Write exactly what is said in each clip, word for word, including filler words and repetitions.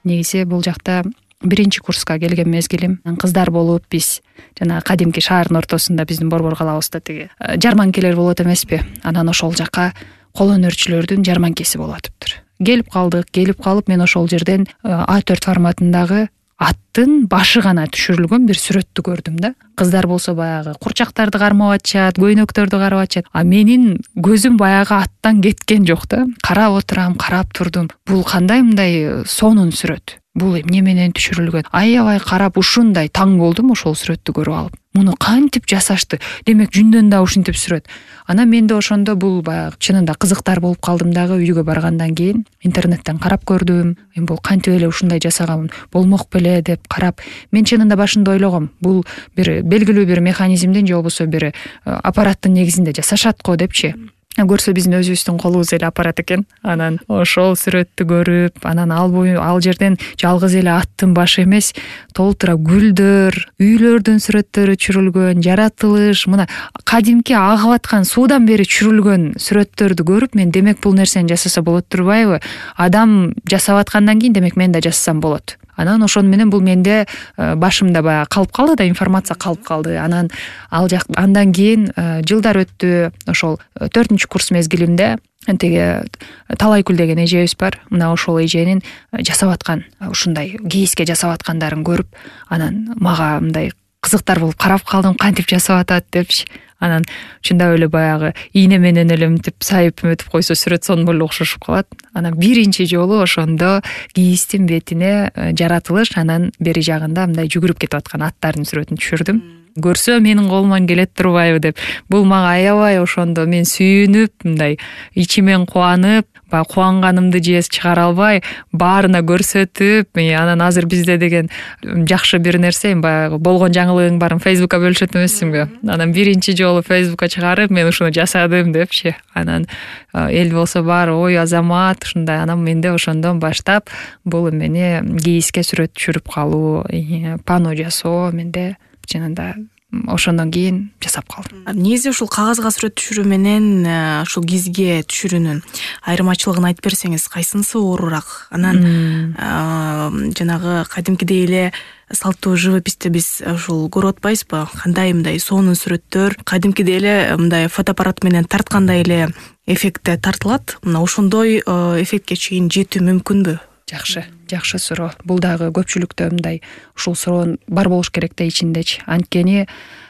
негизи бул жакта биринчи курска келген мезгилим, кыздар болуп биз жана кадимки шаардын ортосунда биздин борбор калабызда тиги жарманкелер болот эмеспи, анан ошол жака кол өнөрчүлөрдүн жарманкеси болуп атыптыр. Келип калдык, келип калып мен ошол жерден а төрт форматындагы аттын башы гана түшүрүлгөн бир сүрөттү көрдүм да. Кыздар болсо баягы курчактарды кармап атышат, көйнөктөрдү карап атышат. А менин көзүм баягы аттан кеткен жок да. Карап отурам, карап турдум. Бул кандай мындай сонун сүрөт? Бул эмне менен түшүрүлгөн? Аябай карап ушундай таң болдум ошол сүрөттү көрүп алып. Муну кантип жасашты? Демек жүндөн да ушинтип сүрөт. Анан менде ошондо бул баягы чынында кызыктар болуп калдым дагы. Үйгө баргандан кийин интернеттен карап көрдүм. Эми бул кантип эле ушундай жасаган болмок беле деп карап, мен чынында башында ойлогом, бул бир белгилүү бир механизмдин же болбосо бир аппараттын негизинде жасашат го депчи. Көрсө биздин өзүбүздүн колубуз эле аппарат экен. Анан ошол сүрөттү көрүп, анан ал бою ал жерден жалгыз эле аттын башы эмес, толтура гүлдөр, үйлөрдүн сүрөттөрү түшүрүлгөн, жаратылыш, мына кадимки агып аткан суудан бери түшүрүлгөн сүрөттөрдү көрүп, мен демек бул нерсени жасаса болот турбайбы? Адам жасап аткандан кийин демек мен да жасасам болот. Анан ошону менен бул менде башымда баягы калып калды да, информация калып калды. Анан ал жак андан кийин жылдар өттү. Ошол төртүнчү курс мезгилимде тиги Талайкүл деген эжебиз бар. Мына ошол эженин жасап аткан ушундай кийиске жасап аткандарын көрүп, анан мага мындай кызыктар болуп карап калдым, кантип жасап атат депчи. Анан чындап эле баягы ийне менен эле мынтип сайып өтүп койсо сүрөт сонун эле окшошуп калат. Анан биринчи жолу ошондо кийистин бетине жаратылыш, анан бери жагында мындай жүгүрүп кетип аткан аттардын сүрөтүн түшүрдүм. Көрсө менин колуман келет турбайбы деп. Бул мага аябай ошондо мен сүйүнүп, мындай ичимен кубанып, баягы кубанганымды же чыгара албай, баарына көрсөтүп, анан азыр бизде деген жакшы бир нерсе, баягы болгон жаңылыгың баарын Facebookка бөлүшөт эмессиңби? Анан биринчи жолу Facebookка чыгарып, мен ушуну жасадым депчи. Анан эл болсо баары ой Азамат ушундай. Анан менде ошондон баштап бул эмени кийиске сүрөт түшүрүп калуу, пано жасоо менде чынында ошондон кийин жасап калдым. Негизи ушул кагазга сүрөт түшүрүү менен ушул кизге түшүрүүнүн айырмачылыгын айтып берсеңиз, кайсынысы оорураак? Анан жанагы кадимкидей эле салттуу живописте биз ушул көрүп атпайбызбы? Кандай мындай сонун сүрөттөр, кадимкидей эле мындай фотоаппарат менен тарткандай эле эффектте тартылат. Мына ошондой эффектке чейин жетүү мүмкүнбү? Жакшы, жакшы суроо. Бул дагы көпчүлүктө мындай ушул суроо бар болуш керек да ичиндечи. Анткени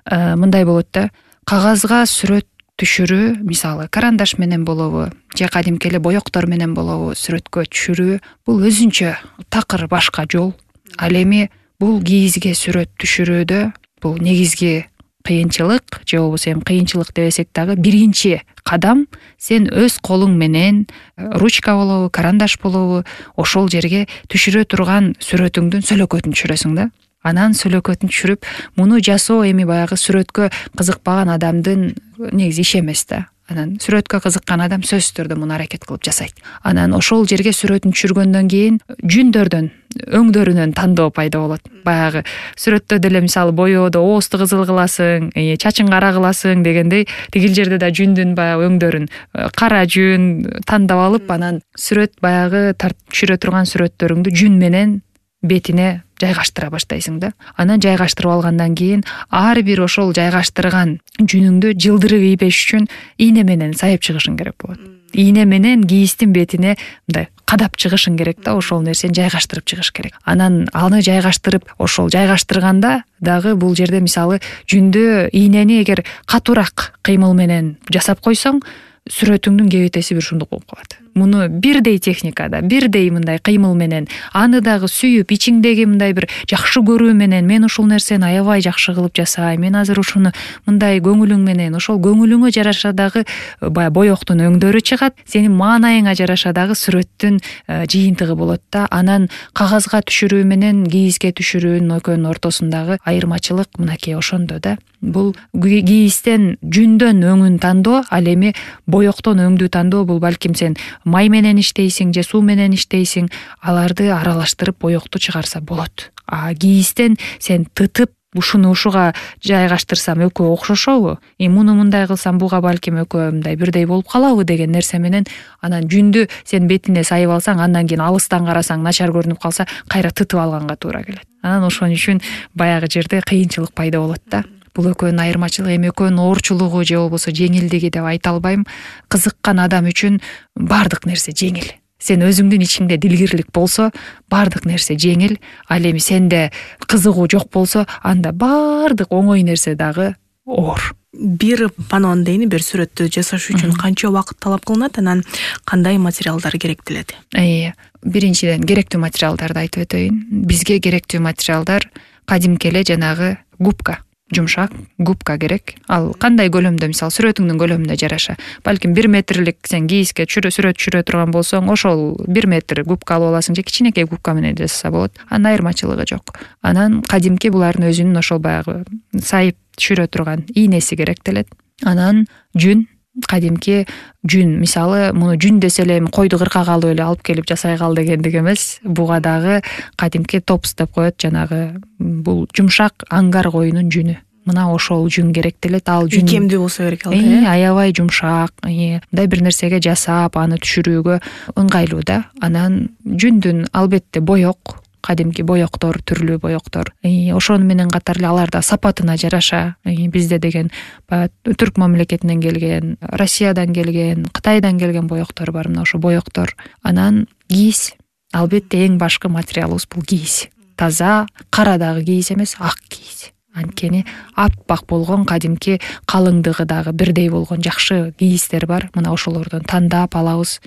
мындай болот да, кагазга сүрөт түшүрүү, мисалы карандаш менен болобу, же кадимки эле боёктор менен болобу, сүрөткө түшүрүү бул өзүнчө такыр башка жол. Ал эми бул кийизге сүрөт түшүрүүдө бул негизги кыйынчылык, же болбосо эми кыйынчылык дебесек дагы биринчи кадам сен өз колуң менен ручка болобу, карандаш болобу, ошол жерге түшүрө турган сүрөтүңдүн сөлөкөтүн түшүрөсүң да. Анан сөлөкөтүн түшүрүп, муну жасоо эми баягы сүрөткө кызыкпаган адамдын негизи иши эмес да. Анан сүрөткө кызыккан адам сөзсүз түрдө муну аракет кылып жасайт. Анан ошол жерге сүрөтүн түшүргөндөн кийин жүндөрдөн, өңдөрүнөн тандоо пайда болот. Баягы сүрөттө деле мисалы боyoодо оозду кызыл кыласың, чачың кара кыласың дегендей, тигил жерде да жүндүн баягы өңдөрүн кара жүн тандап алып, анан сүрөт баягы түшүрө турган сүрөттөрүңдү жүн менен бетине жайгаштыра баштайсың да. Анан жайгаштырып алгандан кийин ар бир ошол жайгаштырган жүнүңдү жылдырып ийбеш үчүн ийне менен сайып чыгышың керек болот. Ийне менен кийистин бетине мындай кадап чыгышың керек да, ошол нерсени жайгаштырып чыгыш керек. Анан аны жайгаштырып, ошол жайгаштырганда дагы бул жерде мисалы жүндү, ийнени эгер катуураак кыймыл менен жасап койсоң, сүрөтүңдүн кебетеси бир ушундук болуп калат. Муну бирдей техникада, бирдей мындай кыймыл менен, аны дагы сүйүп, ичиңдеги мындай бир жакшы көрүү менен, мен ушул нерсени аябай жакшы кылып жасайм, мен азыр ушуну мындай көңүлүң менен, ошол көңүлүңө жараша дагы баягы боёктун өңдөрү чыгат, сенин маанайыңа жараша дагы сүрөттүн жыйынтыгы болот да. Анан кагазга түшүрүү менен кийизге түшүрүүнүн экөөнүн ортосундагы айырмачылык мынакей ошондо да. Бул кийизден жүндөн өңүн тандоо, ал эми боёктон өңдү тандоо бул балким сен май менен иштейсиң же суу менен иштейсиң, аларды аралаштырып боёкту чыгарса болот. А кийизден сен тытып ушуну ушуга жайгаштырсам экөө окшошобу, и муну мындай кылсам буга балким экөө мындай бирдей болуп калабы деген нерсе менен анан жүндү сен бетине сайып алсаң, андан кийин алыстан карасаң начар көрүнүп калса кайра тытып алганга туура келет. Анан ошон үчүн баягы жерде кыйынчылык пайда болот да. Бул экөөнүн айырмачылыгы, эми экөөнүн оорчулугу же болбосо жеңилдиги деп айта албайм. Кызыккан адам үчүн баардык нерсе жеңил. Сен өзүңдүн ичиңде дилгирлик болсо, баардык нерсе жеңил. Ал эми сенде кызыгуу жок болсо, анда баардык оңой нерсе дагы оор. Бир панон дейни, бир сүрөттү жасаш үчүн канча убакыт талап кылынат, анан кандай материалдар керектелет? Э, биринчиден керектүү материалдарды айтып өтөйүн. Бизге керектүү материалдар кадимки эле жанагы губка, жумшак губка керек. Ал кандай көлөмдө, мисалы сүрөтүңдүн көлөмүнө жараша. Балким бир метрлик сен кийиске сүрөт түшүрө турган болсоң, ошол бир метр губка алып аласың же кичинекей губка менен жасаса болот. Анын айырмачылыгы жок. Анан кадимки булардын өзүнүн ошол баягы сайып түшүрө турган ийнеси керектелет. Анан жүн, кадимки жүн, мисалы муну жүн десе эле койду кыркага алып эле алып келип жасай кал дегендик эмес. Буга дагы кадимки топс деп коет, жанагы бул жумшак аңгар коюнун жүнү. Мына ошол жүн керектелет. Ал жүн икемдүү болсо керек ал. Э, аябай жумшак, мындай бир нерсеге жасап, аны түшүрүүгө ыңгайлуу да. Анан жүндүн албетте боек, кадимки боектор, түрлүү боектор. Ошону менен катар эле аларда сапатына жараша, бизде деген түрк мамлекетинен келген, Россиядан келген, Кытайдан келген боектор бар. Мына ошо боектор. Анан кийиз. Албетте эң башкы материалыбыз бул кийиз. Таза, карадагы кийиз эмес, ак кийиз. Анткени аппак болгон, кадимки калыңдыгы дагы бирдей болгон жакшы кийиздер бар. Мына ошолордон тандап алабыз.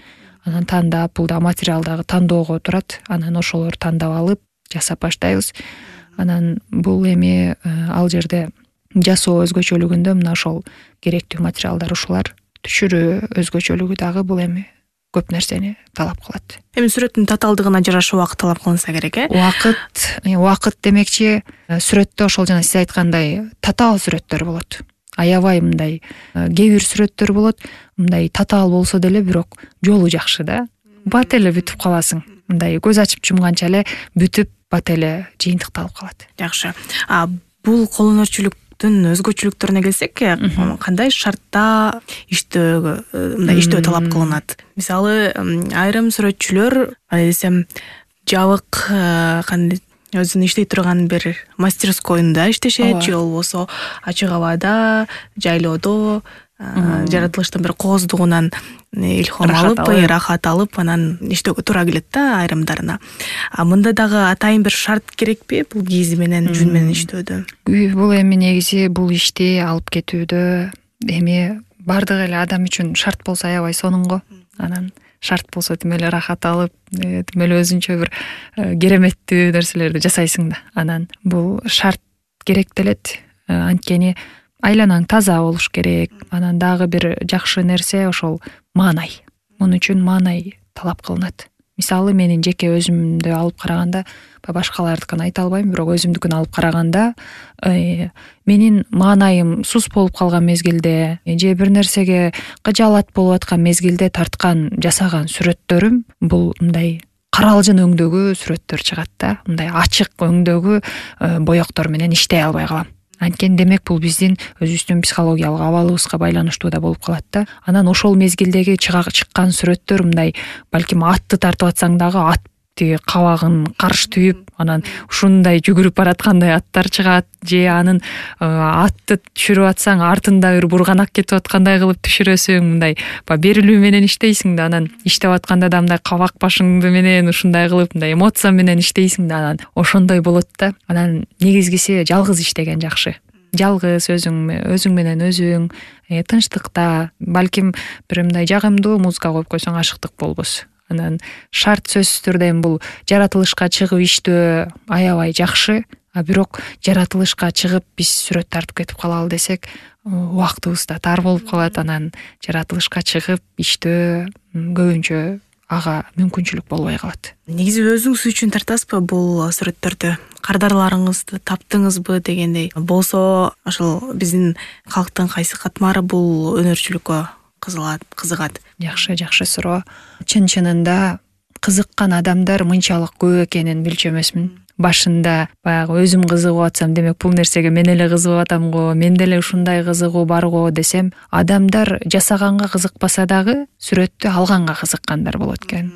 Анан тандап, бул да материал дагы тандоого турат. Анан ошолорду тандап алып жасап баштайбыз. Анан бул эми ал жерде жасоо өзгөчөлүгүндө мына ошол керектүү материалдар ушулар. Түшүрүү өзгөчөлүгү дагы бул эми көп нерсени талап кылат. Эми сүрөттүн татаалдыгына жараша убакыт талап кылынса керек, э? Убакыт, убакыт демекчи, сүрөттө ошол жана сиз айткандай татаал сүрөттөр болот. Аябай мындай кээ бир сүрөттөр болот, мындай татаал болсо деле бирок жолу жакшы да. Бат эле бүтүп каласың. Мындай көз ачып жумганча эле бүтүп бат эле жыйынтыкталып калат. Жакшы. А бул кол өнөрчүлүктүн өзгөчөлүктөрүнө келсек, кандай шартта иштөөгө, мындай иштөө талап кылынат? Мисалы, айрым сүрөтчүлөр, кандай десем, жабык, кандай өзүнүн иштей турган бир мастерскойунда иштешет, же болбосо ачык абада, жайлоодо, жаратылыштын бир кооздугунан илхом алып, рахат алып, анан иштөөгө туура келет да айрымдарына. А мында дагы атайын бир шарт керекпи бул кийиз менен, жүн менен иштөөдө? Бул эми негизи бул ишти алып кетүүдө эми бардык эле адам үчүн шарт болсо аябай сонун го. Анан шарт болсо тим эле рахат алып, тим эле өзүнчө бир кереметтүү нерселерди жасайсың да. Анан бул шарт керектелет. Анткени айланаң таза болуш керек. Анан дагы бир жакшы нерсе ошол маанай. Мун үчүн маанай талап кылынат. Мисалы, менин жеке өзүмдү алып караганда, башкалардыкын айта албайм, бирок өзүмдүкүн алып караганда, менин маанайым сус болуп калган мезгилде, же бир нерсеге кыжаалат болуп аткан мезгилде тарткан, жасаган сүрөттөрүм бул мындай каралжын өңдөгү сүрөттөр чыгат да. Мындай ачык өңдөгү боектор менен иштей албай калам. Анткени демек бул биздин өзүбүздүн психологиялык абалыбызга байланыштуу да болуп калат да. Анан ошол мезгилдеги чыккан сүрөттөр мындай, балким атты тартып атсаң дагы ат тиги кабагын карш түйүп, анан ушундай жүгүрүп бараткандай аттар чыгат, же анын атты түшүрүп атсаң артында бир бурганак кетип аткандай кылып түшүрөсүң, мындай берилүү менен иштейсиң да. Анан иштеп атканда да мындай кабак башыңды менен ушундай кылып, мындай эмоция менен иштейсиң да. Анан ошондой болот да. Анан негизгиси жалгыз иштеген жакшы. Жалгыз өзүң өзүң менен өзүң, тынчтыкта, балким бир мындай жагымдуу музыка коюп койсоң ашыктык болбос. Анан шарт сөзсүз түрдө бул жаратылышка чыгып иштөө аябай жакшы, а бирок жаратылышка чыгып биз сүрөт тартып кетип калалы десек, убактыбыз да тар болуп калат. Анан жаратылышка чыгып иштөө көбүнчө ага мүмкүнчүлүк болбой калат. Негизи өзүңүз үчүн тартасызбы бул сүрөттөрдү? Кардарларыңызды таптыңызбы дегендей болсо, ошол биздин калктын кайсы катмары бул өнөрчүлүккө кызыгат? Жакшы, жакшы суроо. Чын-чынында кызыккан адамдар мынчалык көп экенин билчү эмесмин. башында баягы өзүм кызыгып атсам, демек бул нерсеге мен эле кызыгып атам го, менде эле ушундай кызыгуу бар го десем, адамдар жасаганга кызыкпаса дагы сүрөттү алганга кызыккандар болот экен.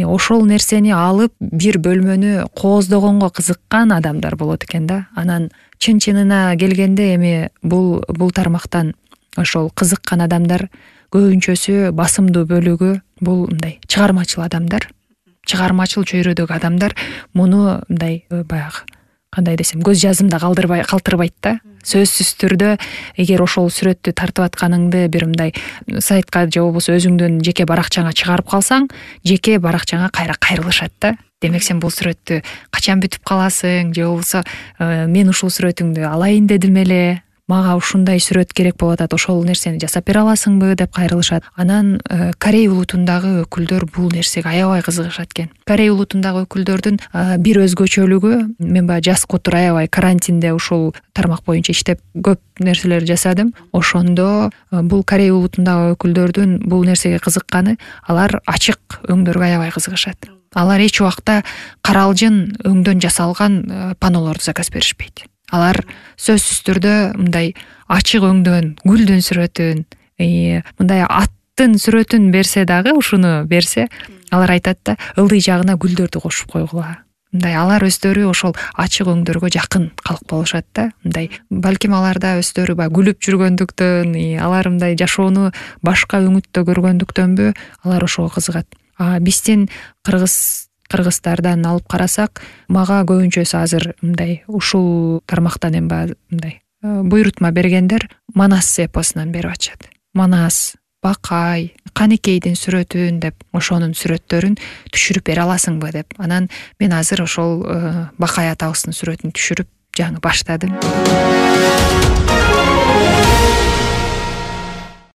Ошол нерсени алып бир бөлмөнү кооздогонго кызыккан адамдар болот экен да. Анан чын-чынына келгенде эми бул бул тармактан ошол кызыккан адамдар көбүнчөсү, басымдуу бөлүгү бул мындай чыгармачыл адамдар, чыгармачыл чөйрөдөгү адамдар. Муну мындай баягы кандай десем, көз жазымда калтырбай калтырбайт да. Сөзсүз түрдө эгер ошол сүрөттү тартып атканыңды бир мындай сайтка же болбосо өзүңдүн жеке баракчаңа чыгарып калсаң, жеке баракчаңа кайра кайрылышат да. Демек сен бул сүрөттү качан бүтүп каласың, же болбосо мен ушул сүрөтүңдү алайын дедим эле, мага ушундай сүрөт керек болуп атат, ошол нерсени жасап бере аласыңбы деп кайрылышат. Анан Корей улутундагы өкүлдөр бул нерсеге аябай кызыгышат экен. Корей улутундагы өкүлдөрдүн бир өзгөчөлүгү, мен баягы жаз котур аябай карантинде ушул тармак боюнча иштеп көп нерселер жасадым. Ошондо бул Корей улутундагы өкүлдөрдүн бул нерсеге кызыкканы, алар ачык өңдөргө аябай кызыгышат. Алар эч убакта каралжын өңдөн жасалган панолорду заказ беришпейт. Алар сөзсүз түрдө мындай ачык өңдөн, гүлдүн сүрөтүн, мындай аттын сүрөтүн берсе дагы, ушуну берсе, алар айтат да, ылдый жагына гүлдөрдү кошуп койгула. Мындай алар өздөрү ошол ачык өңдөргө жакын калк болушат да. Мындай балким аларда өздөрү баягы күлүп жүргөндүктөн, алар мындай жашоону башка өңүттө көргөндүктөнбү, алар ошого кызыгат. А биздин кыргыз кыргыздардан алып карасак, мага көбүнчөсү азыр мындай ушул тармактан эми мындай буйрутма бергендер Манас эпосунан берип атышат. Манас, Бакай, Канекейдин сүрөтүн деп, ошонун сүрөттөрүн түшүрүп бере аласыңбы деп. Анан мен азыр ошол Бакай атабыздын сүрөтүн түшүрүп жаңы баштадым.